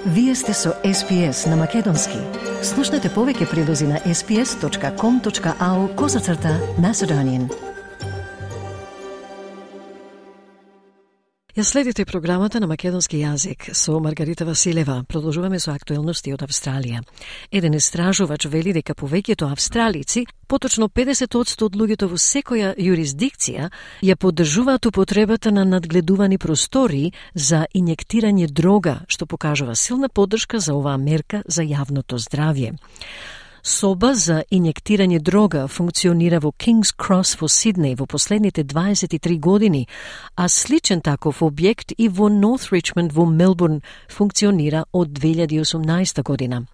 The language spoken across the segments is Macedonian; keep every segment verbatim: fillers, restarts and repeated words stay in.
Вие сте со Ес Би Ес на Македонски. Слушнете повеќе прилози на ес би ес точка ком точка ау козацрта Macedonian. Ја следите програмата на македонски јазик со Маргарита Василева. Продолжуваме со актуелности од Австралија. Еден истражувач вели дека повеќето австралици, поточно педесет одсто од луѓето во секоја јурисдикција, ја поддржуваат употребата на надгледувани простории за инјектирање дрога, што покажува силна поддршка за оваа мерка за јавното здравје. Соба за инјектирање дрога функционира во King's Cross во Сиднеј во последните дваесет и три години, а сличен таков објект и во North Richmond во Мелбурн функционира од две илјади и осумнаесета година.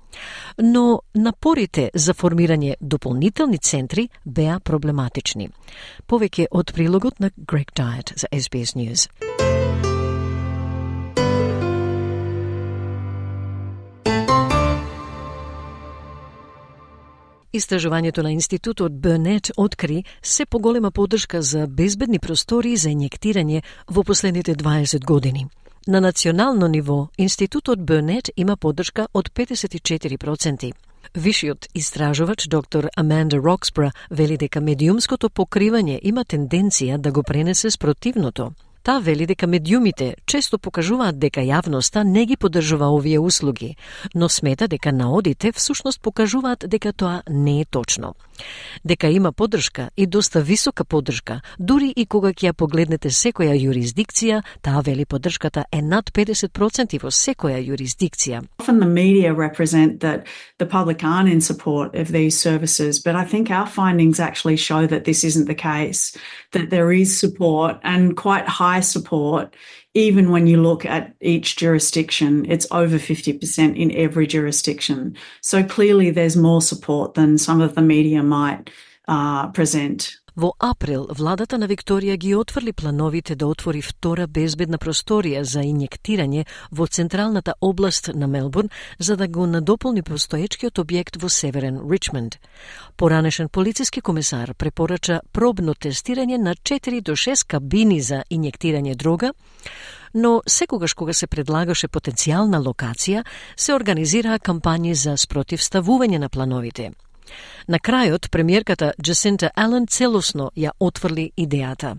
Но напорите за формирање дополнителни центри беа проблематични. Повеќе од прилогот на Greg Diet за Ес Би Ес News. Истражувањето на институтот Burnett откри се поголема поддршка за безбедни простории за инјектирање во последните дваесет години. На национално ниво, институтот Burnett има поддршка од петдесет и четири проценти. Вишиот истражувач доктор Аманда Роксбра вели дека медиумското покривање има тенденција да го пренесе спротивното. Та вели дека медиумите често покажуваат дека јавноста не ги поддржува овие услуги, но смета дека наодите всушност покажуваат дека тоа не е точно. Дека има поддршка и доста висока поддршка, дури и кога ќе ја погледнете секоја јурисдикција, таа вели поддршката е над педесет проценти во секоја јурисдикција. Often the media represent that the public aren't in support of these services, but I think our findings actually show that this isn't the case, that there is support and quite high support. Even when you look at each jurisdiction, it's over fifty percent in every jurisdiction. So clearly there's more support than some of the media might uh, present. Во април, владата на Викторија ги отврли плановите да отвори втора безбедна просторија за инјектирање во централната област на Мелбурн, за да го надополни постоечкиот објект во северен Ричмонд. Поранешен полициски комесар препорача пробно тестирање на четири до шест кабини за инјектирање дрога, но секогаш кога се предлагаше потенцијална локација, се организираа кампањи за спротивставување на плановите. На крајот, премиерката Джасинта Ален целосно ја отврли идејата.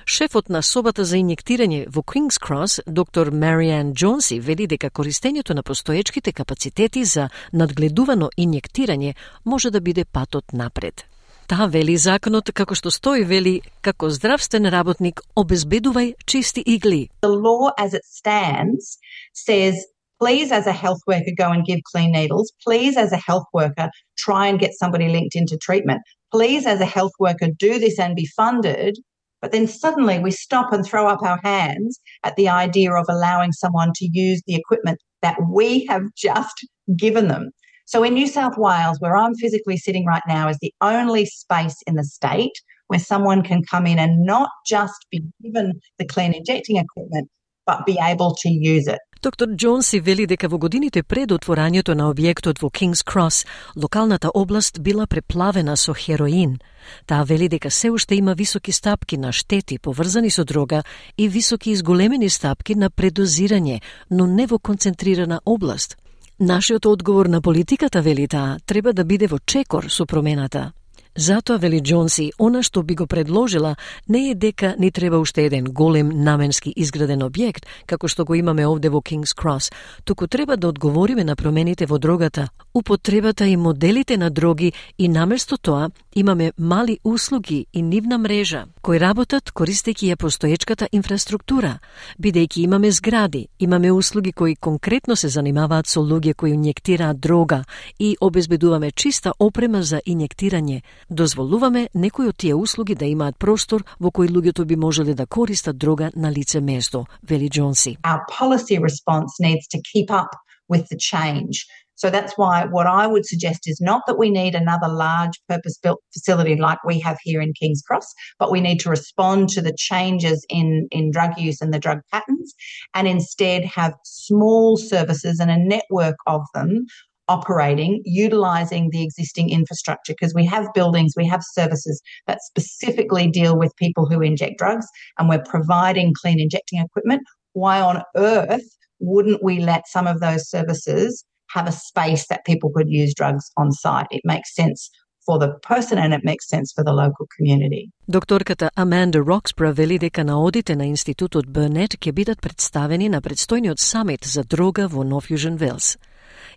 Шефот на собата за инјектирање во King's Cross, доктор Мариан Джонси, вели дека користењето на постоечките капацитети за надгледувано инјектирање може да биде патот напред. Таа вели законот, како што стои, вели, како здравствен работник обезбедувај чисти игли. The law as it stands says, please as a health worker go and give clean needles. Please as a health worker try and get somebody linked into treatment. Please as a health worker do this and be funded. But then suddenly we stop and throw up our hands at the idea of allowing someone to use the equipment that we have just given them. So in New South Wales, where I'm physically sitting right now, is the only space in the state where someone can come in and not just be given the clean injecting equipment, but be able to use it. Доктор Джонси вели дека во годините пред отворањето на објектот во King's Cross, локалната област била преплавена со хероин. Таа вели дека се уште има високи стапки на штети поврзани со дрога и високи изголемени стапки на предозирање, но не во концентрирана област. Нашиот одговор на политиката, вели таа, треба да биде во чекор со промената. Затоа, вели Джонси, она што би го предложила не е дека ни треба уште еден голем наменски изграден објект, како што го имаме овде во King's Cross, туку треба да одговориме на промените во дрогата, употребата и моделите на дроги и наместо тоа имаме мали услуги и нивна мрежа, кои работат користејќи ја постоечката инфраструктура, бидејќи имаме згради, имаме услуги кои конкретно се занимаваат со луѓе кои инјектираат дрога и обезбедуваме чиста опрема за инјектирање. Дозволуваме некои од тие услуги да имаат простор во кој луѓето би можеле да користат дрога на лице место, вели Джонси. Our policy response needs to keep up with the change. So that's why what I would suggest is not that we need another large purpose-built facility like we have here in King's Cross, but we need to respond to the changes in, in drug use and the drug patterns, and instead have small services and a network of them operating, utilising the existing infrastructure, because we have buildings, we have services that specifically deal with people who inject drugs, and we're providing clean injecting equipment. Why on earth wouldn't we let some of those services have a space that people could use drugs on site? It makes sense for the person and it makes sense for the local community. Докторката Аманда Роксбро вели дека наодите на Институтот Бърнет ќе бидат представени на предстојниот самит за дрога во Нов Јужен Велс.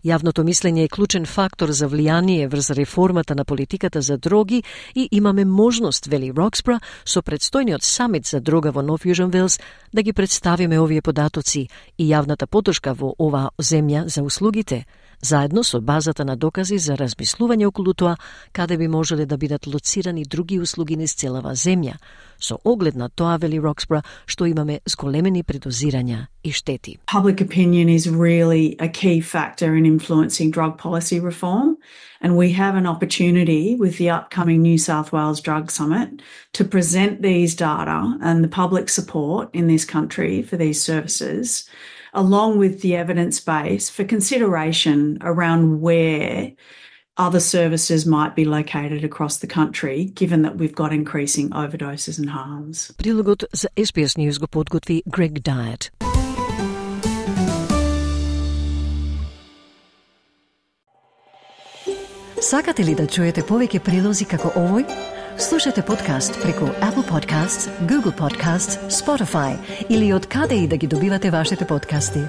Јавното мислење е клучен фактор за влијание врз реформата на политиката за дроги и имаме можност, вели Роксбро, со предстојниот самит за дрога во Нов Јужен Велс да ги представиме овие податоци и јавната поддршка во оваа земја за услугите, заедно со базата на докази за размислување околу тоа каде би можеле да бидат лоцирани други услуги низ целава земја, со оглед на тоа, вели Роксбро, што имаме зголемени предозирања и штети. Public opinion is really a key factor in influencing drug policy reform, and we have an opportunity with the upcoming New South Wales Drug Summit to present these data and the public support in this country for these services, along with the evidence base for consideration around where other services might be located across the country, given that we've got increasing overdoses and harms. Прилогот за Ес Би Ес News го подготви Грег Дайет. Сакате ли да чуете повеќе прилози како овој? Слушате подкаст преку Apple Podcasts, Google Podcasts, Spotify или од каде и да ги добивате вашите подкасти.